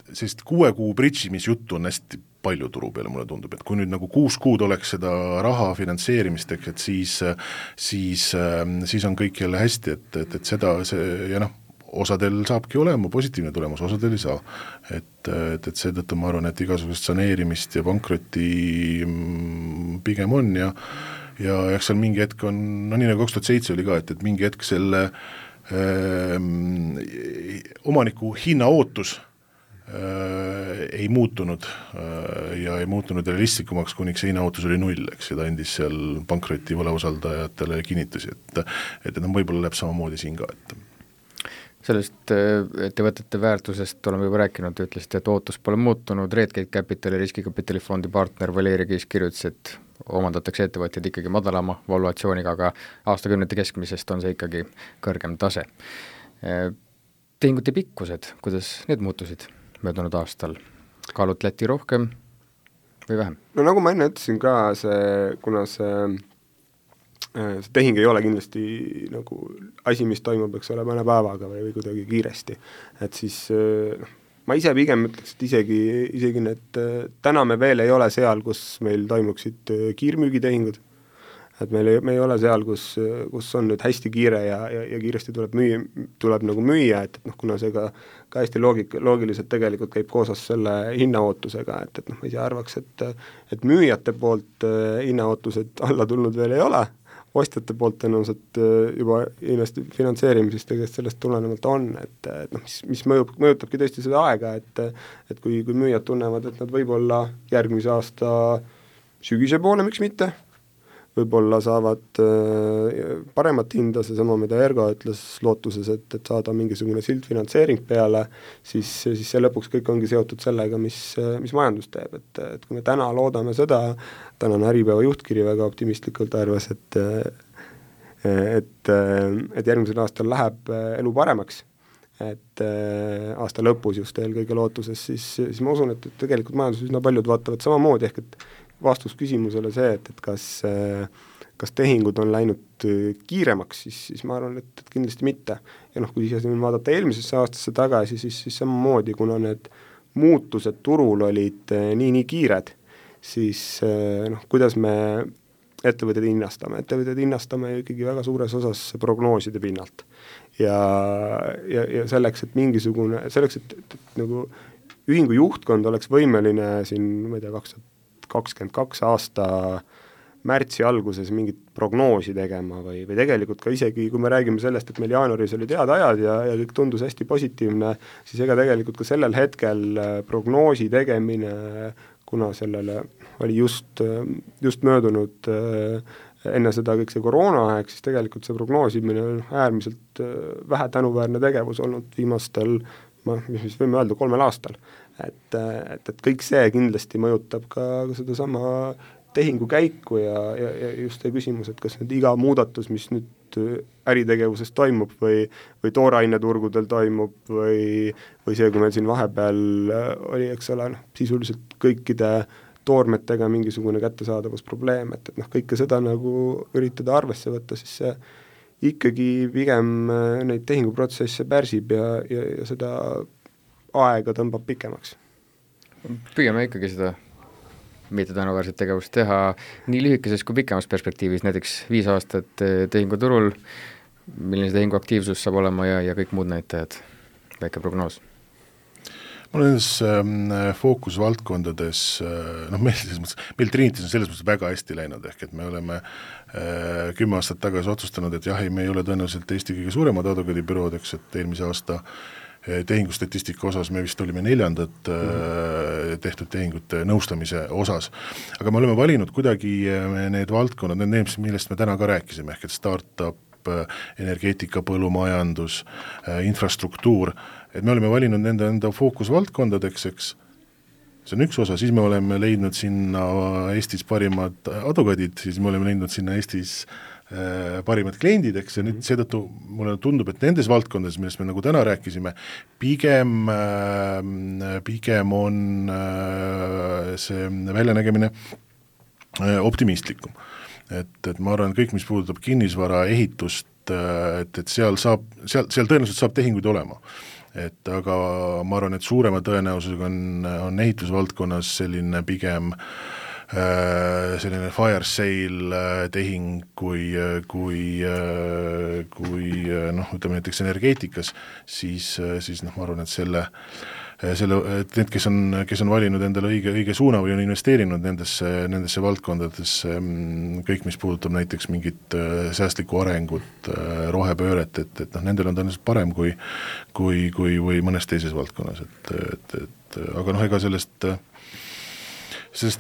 S3: sellist 6 kuu bridžimisjuttu on hästi palju turu peale, mulle tundub, et kui nüüd nagu 6 kuud oleks seda raha finantseerimist, et siis on kõik jälle hästi, et seda, ja osadel saabki olema positiivne tulemus, osadel ei saa. Et seetõttu ma arvan, et igasugust saneerimist ja pankrotti pigem on ja eks seal mingi hetk on, nii nagu 2007 oli ka, et mingi hetk selle omaniku hinna ootus ei muutunud ja ei muutunud realistlikumaks, kuniks see hinnaootus oli 0, eks, ja ta endis seal pankroti võlausaldajatele kinnitusi, et võib-olla läheb samamoodi siin ka, et
S2: sellest ettevõtete väärtusest oleme juba rääkinud, ütlesite, et ootus pole muutunud, Redgate Capitali riskikapitalifondi partner Valeri Kiis kirjutas, et omandatakse ettevõtjad ikkagi madalama valuatsiooniga, aga aastakümnete keskmisest on see ikkagi kõrgem tase. Tehingute pikkused, kuidas need muutusid möödunud aastal? Kaalutleti rohkem või vähem?
S4: No nagu ma enne ütlesin ka, kuna see tehing ei ole kindlasti nagu asi, mis toimub, eks ole, mõne päevaga või kuidagi kiiresti, et siis ma ise pigem ütleks, et isegi need, täna me veel ei ole seal, kus meil toimuksid kiirmüügitehingud, et me ei ole seal, kus on nüüd hästi kiire ja kiiresti tuleb nagu müüa, et kuna see ka hästi loogiliselt tegelikult käib koosas selle hinnaootusega, et ma ise arvaks, et müüjate poolt hinnaootused alla tulnud veel ei ole, ostjate poolt tõenäoliselt juba finantseerimisest tegelikult sellest tulenevalt on, et mis mõjutabki tõesti seda aega, et kui müüjad tunnevad, et nad võib-olla järgmise aasta sügise poole, miks mitte, võib-olla saavad paremat hinda, seesama, mida Ergo ütles lootuses, et saada mingisugune sildfinantseering peale, siis see lõpuks kõik ongi seotud sellega, mis majandus teeb, et kui me täna loodame seda, tänane Äripäeva juhtkiri väga optimistlikult arvas, et järgmisel aastal läheb elu paremaks, et aasta lõpus just eelkõige lootuses, siis ma usun, et tegelikult majanduses üsna paljud vaatavad samamoodi, ehk et vastus küsimusele see, et kas tehingud on läinud kiiremaks, siis ma arvan, et kindlasti mitte. Ja kui ise vaadata eelmisesse aastasse tagasi, siis samamoodi, kuna need muutused turul olid nii kiired, siis kuidas me ettevõtted hinnastame ikkagi väga suures osas prognooside pinnalt. Ja selleks, et nagu ühingu juhtkond oleks võimeline siin, ma ei tea, 2022 aasta märtsi alguses mingit prognoosi tegema või tegelikult ka isegi, kui me räägime sellest, et meil jaanuaris olid head ajad ja kõik tundus hästi positiivne, siis ega tegelikult ka sellel hetkel prognoosi tegemine, kuna sellele oli just möödunud enne seda kõik see koroonaaeg, siis tegelikult see prognoosimine on äärmiselt vähe tänuväärne tegevus olnud viimastel, mis võime öelda, 3 aastal. Et kõik see kindlasti mõjutab ka seda sama tehingu käiku ja just see küsimus, et kas nüüd iga muudatus, mis nüüd äritegevuses toimub või tooraineturgudel toimub või see, kui meil siin vahepeal oli, eks ole, sisuliselt kõikide toormetega mingisugune kättesaadavusprobleem, et kõike seda nagu üritada arvesse võtta, siis see ikkagi pigem neid tehinguprotsesse pärsib ja seda aega tõmbab pikemaks.
S2: Püüame ikkagi seda mitte tänuväärset tegevust teha nii lühikeses kui pikemas perspektiivis, näiteks 5 aastat tehinguturul, milline see tehingu aktiivsus saab olema ja kõik muud näitajad, väike prognoos.
S3: Ma olen nendes fookusvaldkondades, meil Trinitis on selles mõttes väga hästi läinud, ehk et me oleme 10 aastat tagasi otsustanud, et jah, me ei ole tõenäoliselt Eesti kõige suuremad advokaadibürood, eks, et eelmise aasta tehingustatistika osas me vist olime 4. tehtud tehingute nõustamise osas, aga me oleme valinud kuidagi need valdkonnad, need, millest me täna ka rääkisime, ehk et startup, energeetika, põllumajandus, infrastruktuur, et me oleme valinud enda fookusvaldkondadeks, eks, see on üks osa, siis me oleme leidnud sinna Eestis parimad advokaadid, siis me oleme leidnud sinna Eestis parimad kliendid, eks, ja nüüd seetõttu mulle tundub, et nendes valdkondades, millest me nagu täna rääkisime, pigem on see väljanägemine optimistlikum. Et ma arvan, kõik, mis puudutab kinnisvara ehitust, et seal tõenäoliselt saab tehinguid olema. Aga ma arvan, et suurema tõenäosusega on ehitusvaldkonnas selline pigem selline fire sale tehing kui ütleme näiteks energeetikas, siis ma arvan, et need, kes on valinud endale õige suuna või on investeerinud nendesse valdkondadesse, kõik, mis puudutab näiteks mingit säästlikku arengut, rohepööret, et nendel on tõenäoliselt parem kui mõnes teises valdkonnas, aga ega sellest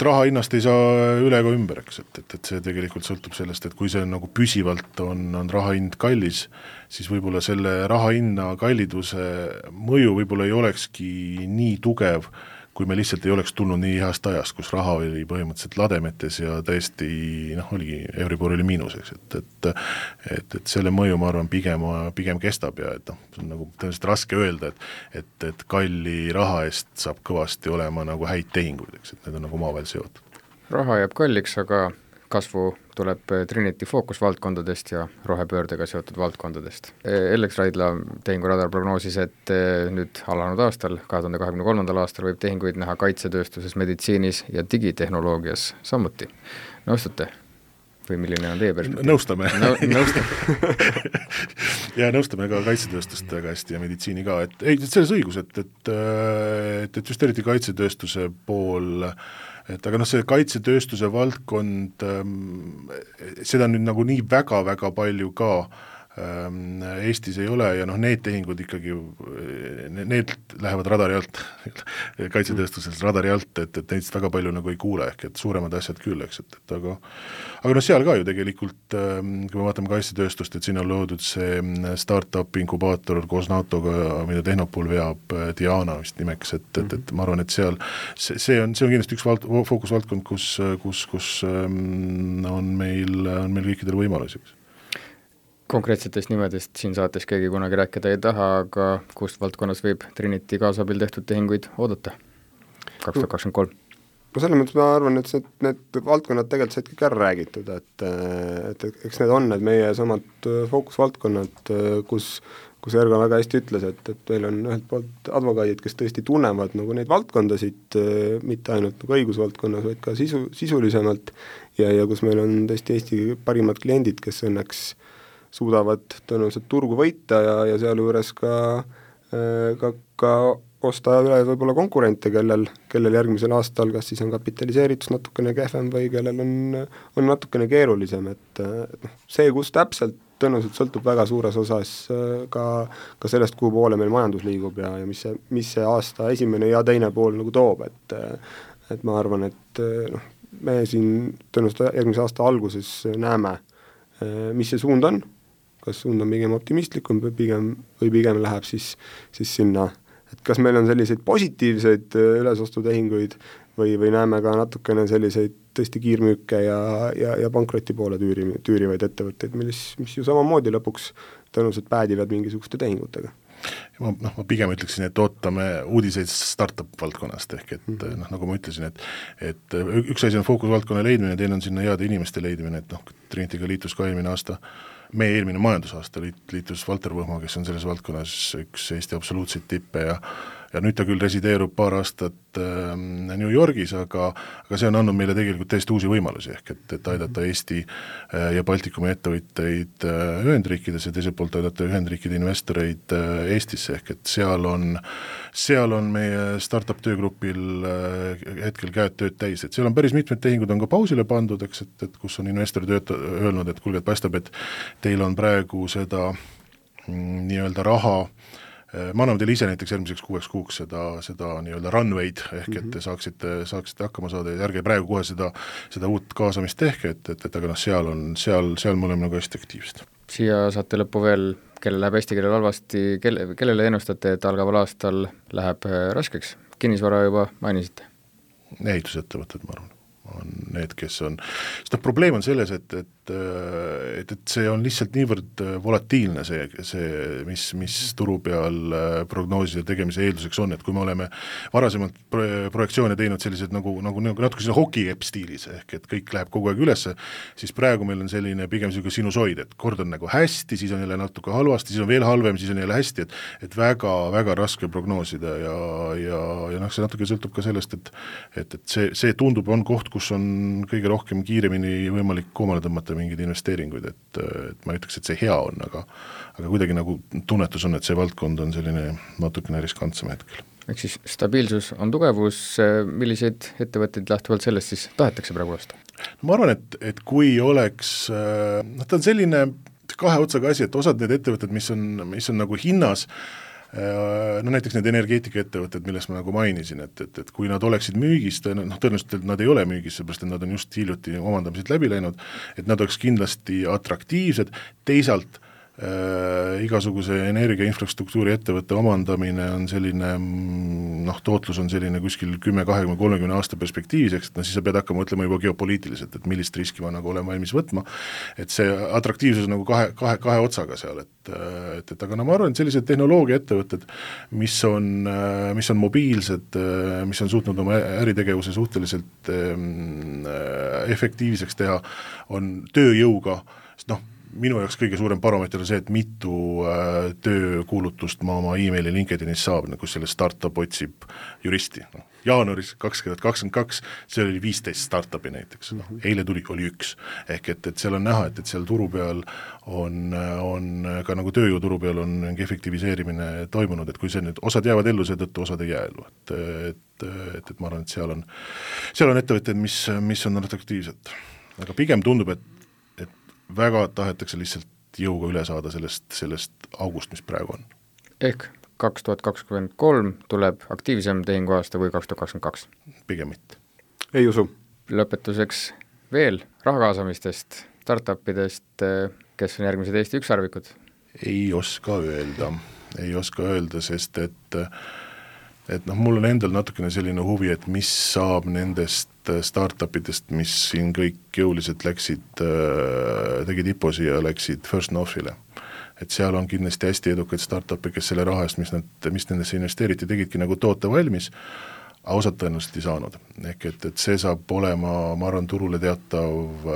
S3: raha hinnast ei saa üle ega ümber, eks, et see tegelikult sõltub sellest, et kui see nagu püsivalt on raha hind kallis, siis võib-olla selle raha hinna kalliduse mõju võib-olla ei olekski nii tugev, kui me lihtsalt ei oleks tulnud nii heast ajast, kus raha oli põhimõtteliselt lademetes ja täiesti, oligi, Euribor oli miinuseks, et selle mõju, ma arvan, pigem kestab ja see on nagu tõenäoliselt raske öelda, et kalli raha eest saab kõvasti olema nagu häid tehinguid, eks, et need on nagu omavahel seotud.
S2: Raha jääb kalliks, aga kasvu tuleb Trinity fookusvaldkondadest ja rohepöördega seotud valdkondadest. Ellex Raidla tehinguradar prognoosis, et nüüd alanud aastal, 2023. aastal võib tehinguid näha kaitsetööstuses, meditsiinis ja digitehnoloogias samuti. Nõustute? Või milline on teie perspektiiv?
S3: Nõustame.
S2: Nõustame.
S3: Ja nõustame ka kaitsetööstust väga hästi ja meditsiini ka, et selles õigus, et just eriti kaitsetööstuse pool, aga see kaitsetööstuse valdkond, seda nüüd nagu nii väga palju ka Eestis ei ole ja need tehingud ikkagi, need lähevad radari alt, kaitsetööstuses radari alt, et neist väga palju nagu ei kuule, ehk et suuremad asjad küll, eks, aga seal ka ju tegelikult, kui me vaatame kaitsetööstust, et siin on loodud see startup inkubaator koos NATO-ga, mida Tehnopol veab, Diana vist nimeks, et ma arvan, et see on kindlasti üks fookusvaldkond, kus on meil kõikidel võimalusi.
S2: Konkreetsetest nimedest siin saates keegi kunagi rääkida ei taha, aga kust valdkonnas võib Trinity kaasabil tehtud tehinguid oodata 2023?
S4: Selles mõttes ma arvan, et need valdkonnad tegelikult said kõik ära räägitud, et eks need on need meie samad fookusvaldkonnad, kus kus Ergo väga hästi ütles, et meil on ühelt poolt advokaadid, kes tõesti tunnevad nagu neid valdkondasid, mitte ainult nagu õigusvaldkonnas, vaid ka sisulisemalt ja kus meil on tõesti Eesti parimad kliendid, kes õnneks suudavad tõenäoliselt turgu võita ja sealjuures ka osta üle võib-olla konkurente, kellel järgmisel aastal kas siis on kapitaliseeritus natukene kehvem või kellel on natukene keerulisem, et see, kus täpselt tõenäoliselt sõltub väga suures osas ka sellest, kuhu poole meil majandus liigub ja mis see aasta esimene ja teine pool nagu toob, et ma arvan, et me siin tõenäoliselt järgmise aasta alguses näeme, mis see suund on, kas suund on pigem optimistlikum või pigem läheb siis sinna, et kas meil on selliseid positiivseid ülesostutehinguid või näeme ka natukene selliseid tõesti kiirmüüke ja pankroti poole tüürivaid ettevõtteid, mis ju samamoodi lõpuks tõenäoliselt päädivad mingisuguste tehingutega.
S3: Ma pigem ütleksin, et ootame uudiseid startup valdkonnast, ehk et nagu ma ütlesin, et üks asi on fookusvaldkonna leidmine, teine on sinna heade inimeste leidmine, et Trinitiga liitus ka meie eelmine majandusaasta liitus Valter Võhma, kes on selles valdkonnas üks Eesti absoluutseid tippe ja nüüd ta küll resideerub paar aastat New Yorgis, aga see on andnud meile tegelikult täiesti uusi võimalusi, ehk et aidata Eesti ja Baltikumi ettevõtteid Ühendriikides ja teiselt poolt aidata Ühendriikide investoreid Eestisse, ehk et seal on meie startup töögrupil hetkel käed tööd täis, et seal on päris mitmed tehingud on ka pausile pandud, eks, et kus on investorid öelnud, et kuulge, et paistab, et teil on praegu seda nii-öelda raha, ma annan teile ise näiteks järgmiseks 6 kuuks seda nii-öelda runway'd, ehk et te saaksite hakkama saada ja ärge praegu kohe seda uut kaasamist tehke, et aga seal me oleme nagu hästi aktiivsed.
S2: Siia saate lõppu veel, kellel läheb hästi, kellel halvasti, kellele ennustate, et algaval aastal läheb raskeks? Kinnisvara juba mainisite?
S3: Ehitusettevõtted, ma arvan, on need, kes on, sest probleem on selles, et see on lihtsalt niivõrd volatiilne mis turu peal prognooside tegemise eelduseks on, et kui me oleme varasemalt projektsioone teinud sellised nagu natuke sinna hokikepp stiilis, ehk et kõik läheb kogu aeg ülesse, siis praegu meil on selline pigem selline sinusoid, et kord on nagu hästi, siis on jälle natuke halvasti, siis on veel halvem, siis on jälle hästi, et väga raske prognoosida ja see natuke sõltub ka sellest, et see tundub, on koht, kus on kõige rohkem kiiremini võimalik koomale tõmmata mingeid investeeringuid, et ma ei ütleks, et see hea on, aga kuidagi nagu tunnetus on, et see valdkond on selline natukene riskantsem hetkel.
S2: Ehk siis stabiilsus on tugevus, milliseid ettevõtteid lähtuvalt sellest siis tahetakse praegu osta?
S3: Ma arvan, et kui oleks, ta on selline kahe otsaga asi, et osad need ettevõtted, mis on nagu hinnas, näiteks need energeetikaettevõtted, millest ma nagu mainisin, et kui nad oleksid müügis, tõenäoliselt nad ei ole müügis, seepärast et nad on just hiljuti omandamised läbi läinud, et nad oleks kindlasti atraktiivsed, teisalt igasuguse energia infrastruktuuri ettevõtte omandamine on selline, tootlus on selline kuskil 10, 20, 30 aasta perspektiivis, et siis sa pead hakkama mõtlema juba geopoliitiliselt, et millist riski ma nagu olen valmis võtma, et see atraktiivsus nagu kahe otsaga seal, et aga ma arvan, et sellised tehnoloogia ettevõtted, mis on mobiilsed, mis on suutnud oma äritegevuse suhteliselt efektiivseks teha, on tööjõuga, sest minu jaoks kõige suurem baromeeter on see, et mitu töökuulutust ma oma e-maili LinkedInis saab, kus selle startup otsib juristi. Jaanuaris 2022 see oli 15 startupi näiteks, eile oli 1, ehk et seal on näha, et seal turu peal on ka nagu tööjõuturu peal on efektiviseerimine toimunud, et kui see nüüd, osad jäävad ellu, seetõttu osad ei jää ellu, et ma arvan, et seal on ettevõtted, mis on atraktiivsed, aga pigem tundub, et väga tahetakse lihtsalt jõuga üle saada sellest august, mis praegu on.
S2: Ehk 2023 tuleb aktiivsem tehinguaasta või 2022?
S3: Pigem mitte.
S4: Ei usu.
S2: Lõpetuseks veel raha kaasamistest, startupidest, kes on järgmised Eesti ükssarvikud?
S3: Ei oska öelda, sest et mul on endal natukene selline huvi, et mis saab nendest startupidest, mis siin kõik jõuliselt tegid IPO-si ja läksid First Northile. Et seal on kindlasti hästi edukaid startupi, kes selle raha eest, mis nendesse investeeriti, tegidki nagu toote valmis, aga osad tõenäoliselt ei saanud. Ehk et see saab olema, ma arvan, turule teatav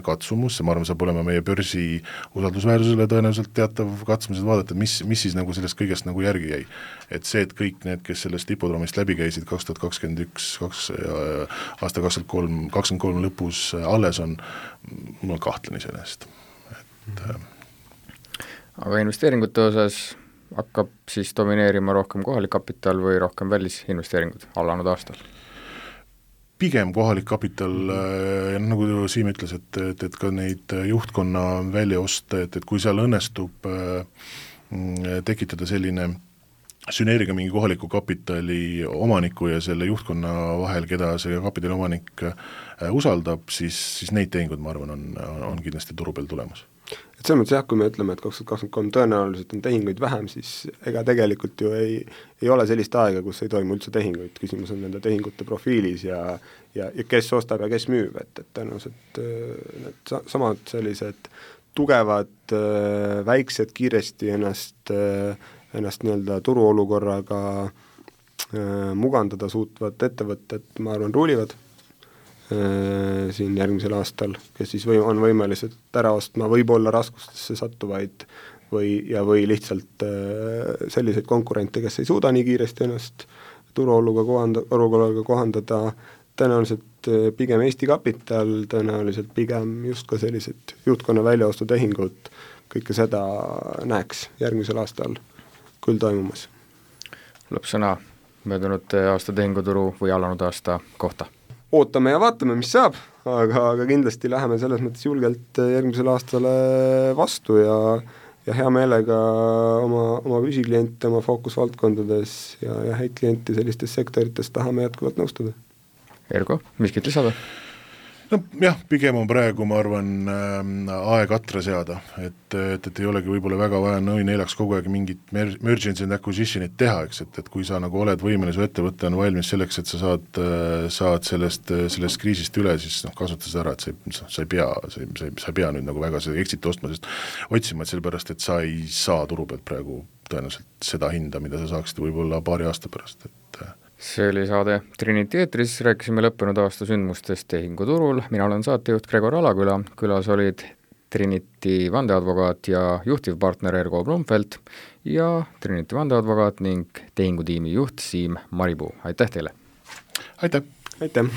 S3: katsumus, ma arvan, saab olema meie börsi usaldusväärsusele tõenäoliselt teatav katsumus, et vaadata, mis siis nagu sellest kõigest nagu järgi jäi. Et see, et kõik need, kes sellest hipodroomist läbi käisid 2021, aasta 2023 lõpus alles on, mul on kahtlen iseenesest.
S2: Aga investeeringute osas hakkab siis domineerima rohkem kohalik kapital või rohkem välisinvesteeringud alanud aastal?
S3: Pigem kohalik kapital, nagu Siim ütles, et ka neid juhtkonna väljaoste, et kui seal õnnestub tekitada selline sünergia mingi kohaliku kapitali omaniku ja selle juhtkonna vahel, keda see kapitali omanik usaldab, siis neid tehingud, ma arvan, on kindlasti turu peal tulemas.
S4: Et selles mõttes jah, kui me ütleme, et 2023 tõenäoliselt on tehinguid vähem, siis ega tegelikult ju ei ole sellist aega, kus ei toimu üldse tehinguid, küsimus on nende tehingute profiilis ja kes ostab ja kes müüb, et tõenäoliselt need samad sellised tugevad, väiksed, kiiresti ennast nii-öelda turuolukorraga mugandada suutvad ettevõtted, ma arvan, ruulivad siin järgmisel aastal, kes siis on võimelised ära ostma võib-olla raskustesse sattuvaid või lihtsalt selliseid konkurente, kes ei suuda nii kiiresti ennast turuolukorraga kohandada, tõenäoliselt pigem Eesti Kapital, tõenäoliselt pigem just ka sellised juhtkonna väljaostutehingud, kõike seda näeks järgmisel aastal küll toimumas.
S2: Lõppsõna möödunud aasta tehinguturu või alanud aasta kohta?
S4: Ootame ja vaatame, mis saab, aga kindlasti läheme selles mõttes julgelt järgmisele aastale vastu ja hea meelega oma püsikliente oma fookusvaldkondades ja häid klienti sellistes sektorites tahame jätkuvalt nõustada.
S2: Ergo, miskit lisada?
S3: No jah, pigem on praegu, ma arvan, aeg atra seada, et ei olegi võib-olla väga vaja neljaks kogu aeg mingit mergence and acquisitionit teha, eks, et kui sa nagu oled võimeline, su ettevõte on valmis selleks, et sa saad sellest kriisist üle, siis kasuta seda ära, et sa ei pea nüüd nagu väga seda exit ostma, sest otsima, et sellepärast, et sa ei saa turu pealt praegu tõenäoliselt seda hinda, mida sa saaksid võib-olla paari aasta pärast,
S2: See oli saade Trinity eetris, rääkisime lõppenud aasta sündmustest tehinguturul, mina olen saatejuht Gregor Alaküla, külas olid Trinity vandeadvokaat ja juhtivpartner Ergo Blumfeld ja Trinity vandeadvokaat ning tehingutiimi juht Siim Maripuu. Aitäh teile!
S3: Aitäh!
S4: Aitäh!